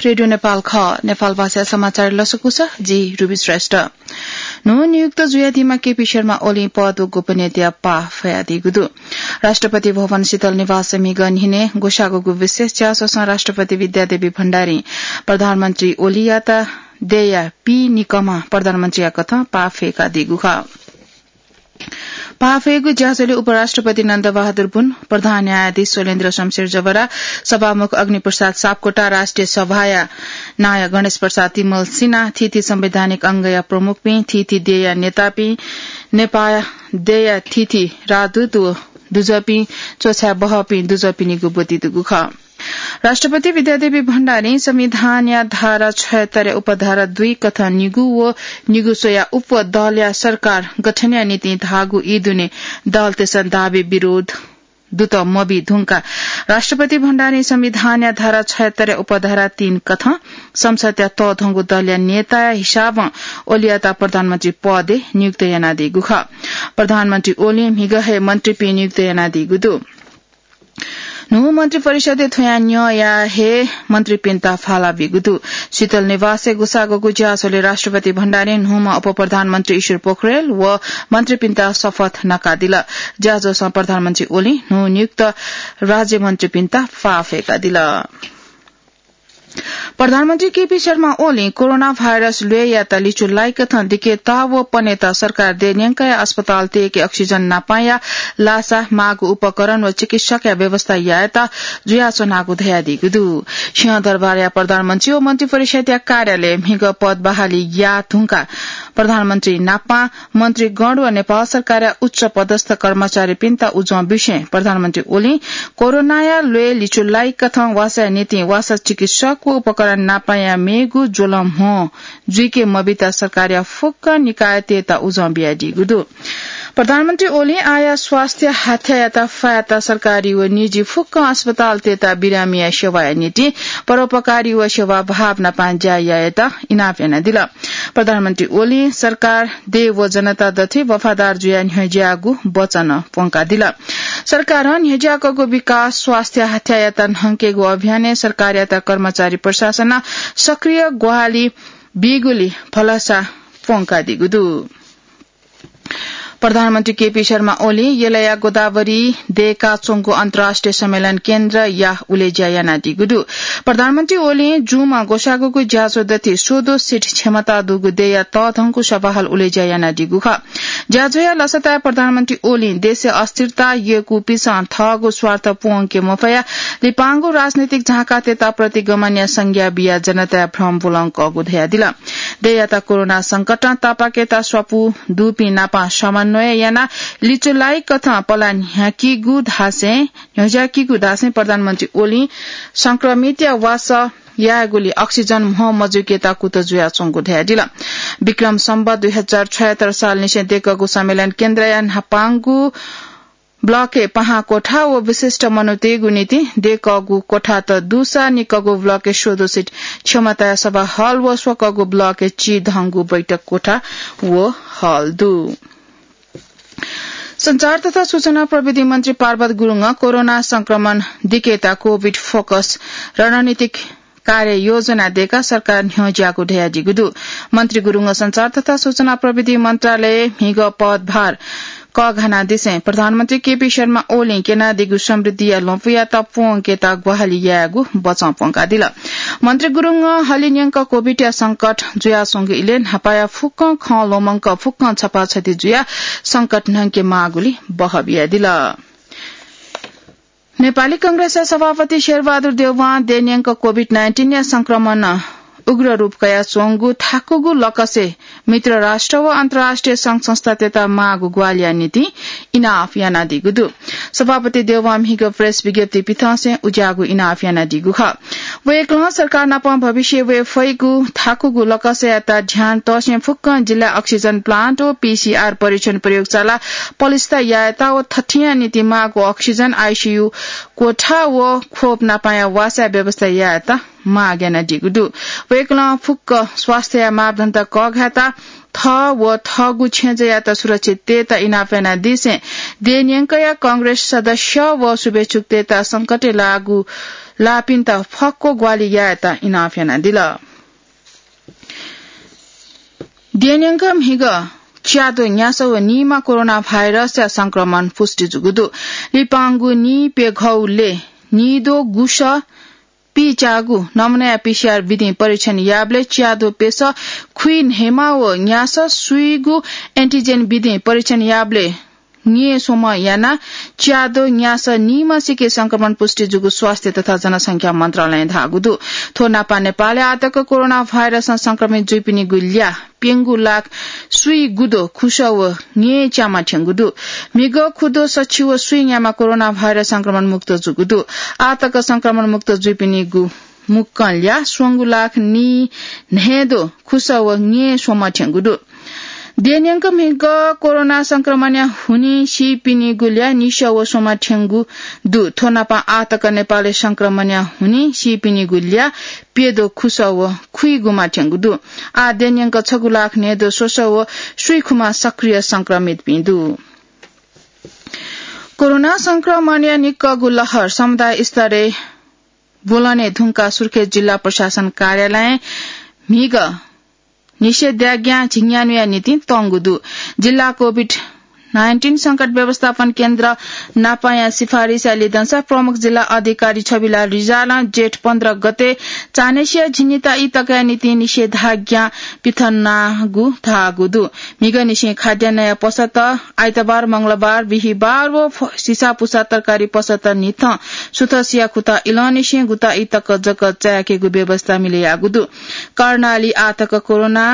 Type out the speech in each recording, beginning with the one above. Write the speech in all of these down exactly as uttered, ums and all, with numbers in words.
रेडियो नेपाल खः। नेपाल भाषा समाचार लसकुस, जि रुबी श्रेष्ठ। न्हू नियुक्त जुयादीम्ह केपी शर्मा ओलीं पद व गोपनीयताया पाः फयादीगु दु। राष्ट्रपति भवन शीतल निवासय् म्हिगः न्हिनय् ग्वसाःगु विशेष ज्याझ्वलं राष्ट्रपति विद्यादेवी भण्डारीं प्रधानमन्त्री ओलीयात देय्‌या पीनिकम्ह प्रधानमन्त्रीया कथं पाः फय्‌कादीगु खः। पाः फय्‌गु ज्याझ्वलय् उपराष्ट्रपति नन्दबहादुर पुन, प्रधान न्यायाधीश शैलेन्द्र शमशेर जवरा, सभामुख अग्निप्रसाद सापकोटा, राष्ट्रिय सभाया नायः गणेश प्रसाद तिमल सिन्हा, थीथी संवैधानिक अंगया प्रमुखपिं, थीथी देय्‌या नेतापिं, नेपाः देय्‌या थीथी राजदूत व दुजःपिं, च्वछाय् बहःपिं दुजःपिनिगु ब्वति दुगु खः। राष्ट्रपति विद्यादेवी भण्डारीं संविधानया धारा छयहत्तरया उपधारा दुई कथं निगू व निगू स्वयाः उप दलया सरकार गठनया निंतिं धाःगु ई दुने दलतय्‌सं दाबी विरोध दुत मबी धुंकाः राष्ट्रपति भण्डारीं संविधानया धारा छयहत्तरया उपधारा तीन कथं संसदया तःधंगु दलया नेताया हिसाबं ओलीयात प्रधानमन्त्री पदय् नियुक्त यानादीगु खः। प्रधानमन्त्री ओलीं म्हिगः हे मन्त्रीपिं नियुक्त यानादीगु दु। न्हू मन्त्री परिषदय् थ्वयाः न्यंया हे मन्त्रीपिन्त फाला बीगु दु। शीतल निवासय् ग्वसाःगु ज्याझ्वलय् राष्ट्रपति भण्डारीं न्हूम्ह उपप्रधानमन्त्री ईश्वर पोखरेल व मन्त्रीपिन्त शपथ नकादिल। ज्याझ्वलं प्रधानमन्त्री ओलीं न्हू नियुक्त राज्यमन्त्रीपिन्त पाः फय्‌कादिल। प्रधानमन्त्री केपी शर्मा ओलीं कोरोना भाइरस ल्वय्‌यात लिचु लाइकथं दिकेता व पनेत सरकार देय् न्यंकया अस्पताल तयेके अक्सिजन नापांया लासा, माःगु उपकरण व चिकित्सकया व्यवस्था यायेत जुयाच्वनागु धयादीगु दु। सिंहदरबारया प्रधानमन्त्री व मन्त्री परिषदया कार्यालयय् म्हिगः पद बहाली याये धुंकाः प्रधानमन्त्री नापां मन्त्रीगण व नेपाल सरकारया उच्च पदस्थ कर्मचारीपिन्त उजं बिसें प्रधानमन्त्री ओलीं कोरोनाया ल्वय् लिचु लाइकथं वासःया निंतिं वासः चिकित्सक व उपकरण नापांया मेगु ज्वलं म्हो जुइके मबीत सरकारया फुक्क निकायतय्‌त उजं बियादीगु दु। प्रधानमन्त्री ओलीं आःया स्वास्थ्य हाथ्यायात फायात सरकारी व निजी फुक्क अस्पतालतय्‌त बिरामीया सेवाया निंतिं परोपकारी व सेवाभाव नापं ज्या यायेत इनाप यानादिल। प्रधानमन्त्री ओलीं सरकार देय् व जनता दथुइ वफादार जुयाः न्ह्यज्याःगु वचन प्वंकादिल। सरकारं न्ह्यज्याकःगु विकास, स्वास्थ्य हाथ्यायात न्हंकेगु अभियानय् सरकारयात कर्मचारी प्रशासनं सक्रिय ग्वाहालि बीगुली भलसा प्वंकादीगु दु। प्रधानमन्त्री केपी शर्मा ओलीं यलया गोदावरी दय्‌काच्वंगु अन्तर्राष्ट्रिय सम्मेलन केन्द्रया उलेज्या यानादीगु दु। प्रधानमन्त्री ओलीं जूम्ह ग्वसाःगुगु ज्याझ्वः दथुइ स्वदँ सिट क्षमता दुगु दय्‌या तःधंगु सभाहल उलेज्या यानादीगु खः। ज्याझ्वःया लसताय् प्रधानमन्त्री ओलीं देशय् अस्थिरता यय्‌कूपिन्सं थःगु स्वार्थ प्वंके मफयाः लिपांगु राजनैतिक झाँकातय्‌त प्रतिगमनया संज्ञा बियाः जनताय् भ्रम ब्वलंकःगु धयादिल। दय्‌यात कोरोना संकटं तापाकेत स्वापू दुपिं नापं समन्वय यानाः लिचु लाइकथं पला न्ह्याकीगु धासें, न्ह्यज्याकीगु धासें प्रधानमन्त्री ओलीं संक्रमितया वासः यायेगुली अक्सिजन म्हो मजुइकेत कुतः जुयाच्वंगु धयादिल। विक्रम सम्वत दुई हजार छयहत्तर सालनिसें दय्‌कःगु सम्मेलन केन्द्रया न्हापांगु ब्लकय् पाहां कोठा व विशिष्ट मनूतय्‌गु निंतिं दय्‌कःगु कोठात दुसा निक्कःगु ब्लकय् स्वदँ सिट क्षमताया सभा हल व स्वकःगु ब्लकय् चिधंगु बैठक कोठा व हल दु। सञ्चार तथा सूचना प्रविधि मन्त्री पार्वत गुरुङं कोरोना संक्रमण दिकेता कोभिड फोकस रणनीतिक कार्ययोजना दय्‌काः सरकार न्ह्यज्याःगु धयादीगु दु। मन्त्री गुरुङं सञ्चार तथा सूचना प्रविधि मन्त्रालयय् म्हिगः पदभार कःघानादिसें प्रधानमन्त्री केपी शर्मा ओलीं क्यनादीगु समृद्धिया ल्वपुयात प्वंकेत ग्वाहालि यायेगु वचं प्वंकादिल। मन्त्री गुरुङं हलिंन्यंक कोभिडया संकट जुयाच्वंगु इलय् न्हापाया फुक्कं खँ ल्वमंक फुक्कं छपाछति जुयाः संकट न्हंके माःगुली बहः बियादिल। नेपाली कांग्रेसया सभापति शेरबहादुर देउवां दय्‌न्यंक कोभिड नाइन्टिनया संक्रमणं उग्र रूप कयाच्वंगु थाकुगु लकसय् मित्र राष्ट्र व अन्तर्राष्ट्रिय संघ संस्थातय्‌त माःगु ग्वाहालिया निंतिं इनाप यानादीगु दु। सभापति देउवां म्हिगः प्रेस विज्ञप्ति पिथंसें उज्याःगु इनाप यानादीगु खः। वय्‌कलं सरकार नाप भविष्यय् वये फइगु थाकुगु लकसयात ध्यान तःसें फुक्कं जिल्लाय् अक्सिजन प्लान्ट व पीसीआर परीक्षण प्रयोगशाला पलिस्था यायेत व थथिंया निंतिं माःगु अक्सिजन, आईसीयू कोठा व खोप नापांया वासःया व्यवस्था यायेत माग यानादीगु दु। वय्‌कलं फुक्क स्वास्थ्यया मापदण्ड कःघायेत थः व थःगु छेँजःयात सुरक्षित तयेत इनाप यानादीसें दय्‌न्यंकया कांग्रेस सदस्य व शुभेच्छुकतय्‌त संकटय् लाःगु लाःपिन्त फक्व ग्वाहालि यायेत इनाप यानादिल। देय्‌न्यंक म्हिगः च्याद्वः न्यासः व नीमा कोरोना भाइरसया संक्रमण पुष्टि जूगु दु। लिपांगु नीप्यघौलय् नीद्वः गुसः पीच्यागु नमुनाया पीसीआर विधिं परीक्षण याःबलय् च्याद्वः प्यसः खुइन्हय्‌मा व न्यासः सुइगु एन्टिजेन विधिं परीक्षण याःबलय् न्येस्वम्ह यानाः च्याद्वः न्यासः नीम्हसिके संक्रमण पुष्टि जूगु स्वास्थ्य तथा जनसंख्या मन्त्रालयं धाःगु दु। थ्व नापं नेपालय् आःतक कोरोना भाइरसं संक्रमित जुइपिनिगु ल्याः प्यंगू लाख सुइगुद्वः खुसः व न्येच्याम्ह थ्यंगु दु। म्हिगः खुद्वः सछि व सुइन्याम्ह कोरोना भाइरस संक्रमण मुक्त जूगु दु। आःतक संक्रमण मुक्त जुइपिनिगु मुक्कं ल्याः स्वंगू लाख नीन्हय्‌द्वः खुसः व न्येस्वम्ह थ्यंगु दु। देय्‌न्यंक म्हिगः कोरोना संक्रमणया हुनिं सीपिनिगु ल्याः निसः व स्वम्ह थ्यंगु दु। थ्व नापं आःतक नेपालय् संक्रमणया हुनिं सीपिनिगु ल्याः प्यद्वः खुसः व खुइगुम्ह थ्यंगु दु। आः देय्‌न्यंक छगू लाख न्हय्‌द्वः स्वसः व सुइखुम्ह सक्रिय संक्रमितपिं दु। कोरोना संक्रमणया निक्कःगु लहर समुदाय स्तरय् ब्वलने धुंकाः सुर्खेत जिल्ला प्रशासन कार्यालयं म्हिगः निषेधाज्ञा झिंन्यान्हुया निंतिं तंगु दु। जिल्ला कोभिड नाइन्टिन संकट व्यवस्थापन केन्द्र नापंया सिफारिसया लिधंसा प्रमुख जिल्ला अधिकारी छविलाल रिजालं जेठ पन्ध्र गते चान्हय्‌सिया झिंनिता ई तकया निंतिं निषेधाज्ञा पिथनागु धाःगु दु। म्हिगःनिसें खाद्यान्नया पसःत आइतबार, मंगलबार, बिहिबार व फ-, सिसापुसा तरकारी पसःत न्हिथं सुथसिया खुता इलंनिसें गुता ई तक जक चाय्‌केगु व्यवस्था मिले याःगु दु। कर्णाली आःतक कोरोना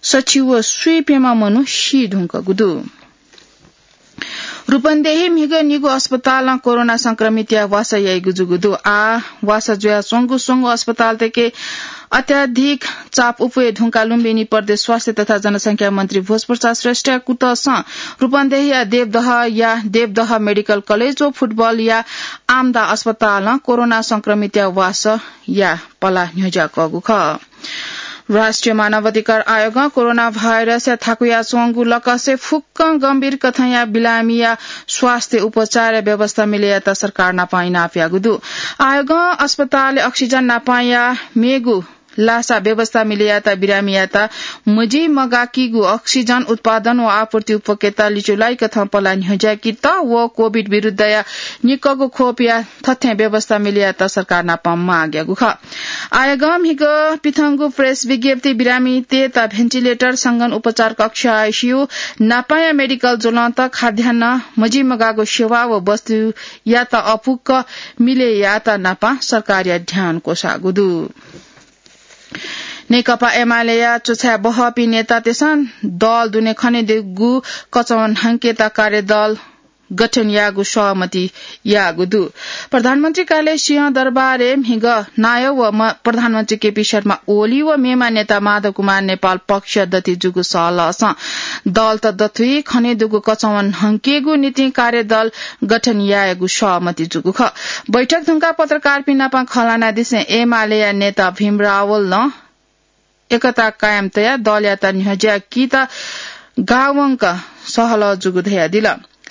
सछि व सुइप्यम्ह मनू सी धुंकूगु दु। रूपन्देही म्हिगः निगू अस्पतालं कोरोना संक्रमितया वासः याइगु जूगु दु। आः वासः जुयाच्वंगु स्वंगू अस्पतालतय्‌के अत्याधिक चाप उपुये धुंकाः लुम्बिनी प्रदेश स्वास्थ्य तथा जनसंख्या मन्त्री भोजप्रसाद श्रेष्ठया कुतसं रूपन्देहीया देवदहया देवदह मेडिकल कलेज व फुटबलया आमदा अस्पतालं कोरोना संक्रमितया वासःया पला न्ह्यज्याकःगु खः। राष्ट्रिय मानवाधिकार आयोगं कोरोना भाइरसया थाकुयाच्वंगु लकसय् फुक्कं गम्भीर कथंया बिरामीया स्वास्थ्य उपचारया व्यवस्था मिले यायेत सरकार नाप इनाप याःगु दु। आयोगं अस्पतालय् अक्सिजन नापंया मेगु लासा व्यवस्था मिले यायेत बिरामीयात मजिमगाकीगु अक्सिजन उत्पादन व आपूर्ति उपकेता लिचुलाइ कथं पला न्ह्यज्याकेत व कोभिड विरुद्धया निक्कःगु खोपया थथें व्यवस्था मिले यायेत सरकार नाप माग याःगु खः। आयोगं म्हिगः पिथंगु प्रेस विज्ञप्ति बिरामीतय्‌त भेन्टिलेटर, संगन उपचार कक्ष, आइसियु, नापंया मेडिकल ज्वलंत, खाद्यान्न, मजिमगाःगु सेवा व वस्तुयात अपुक्क मिले यायेत नाप सरकारया ध्यान क्वसाःगु दु। नेकपा एमालेया च्वछाय् बहःपिं नेतातय्‌सं दल दुने खनेदुगु कचवं न्हंकेत कार्यदल गठन यायेगु सहमति याःगु दु। प्रधानमन्त्री कार्यालय सिंहदरबारय् म्हिगः नायः व म-, प्रधानमन्त्री केपी शर्मा ओली व मेम्ह नेता माधव कुमार नेपाल पक्ष दथुइ जूगु सहलहसं दलत दथुइ खनेदुगु कचवं न्हंकेगु निंतिं कार्यदल गठन यायेगु सहमति जूगु खः। बैठक धुंकाः पत्रकारपिं नाप खँ ल्हानादिसें एमालेया नेता भीम रावलं एकता कायम तयाः दलयात न्ह्यज्याकेत गावंक सहलह जूगु धयादिल।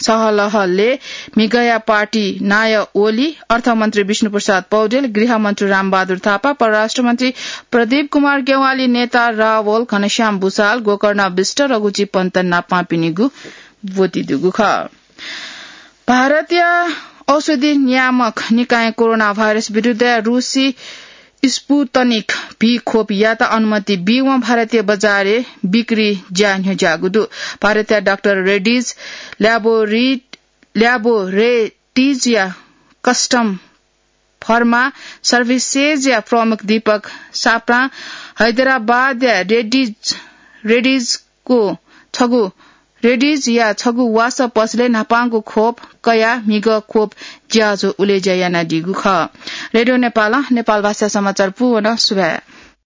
सहलहलय् म्हिगःया पार्टी नायः ओली, अर्थमन्त्री विष्णुप्रसाद पौडेल, गृहमन्त्री रामबहादुर थापा, परराष्ट्रमन्त्री प्रदीप कुमार ज्ञवाली, नेता रावल, घनश्याम भुसाल, गोकर्ण विष्ट, रघुजी पन्त नापंपिनिगु ब्वति दुगु खः। भारतया औषधि नियामक निकायं कोरोना भाइरस विरुद्धया रूसी स्पुतनिक भी खोपयात अनुमति बीवं भारतीय बजारय् बिक्री ज्या न्ह्यज्याःगु दु। भारतया डाक्टर रेड्डीज ल्याबोरे-, ल्याबोरेटरीजया कस्टम फर्मा सर्भिसेजया प्रमुख दीपक साप्रां हैदराबादया रेड्डीज, रेड्डीजको छगू, रेड्डीजया छगू वासः पसलय् न्हापांगु खोप कयाः म्हिगः खोप ज्याझ्वः उलेज्या यानादीगु खः। रेडियो नेपालं नेपाल भाषा समाचार पूवन सुभाय्।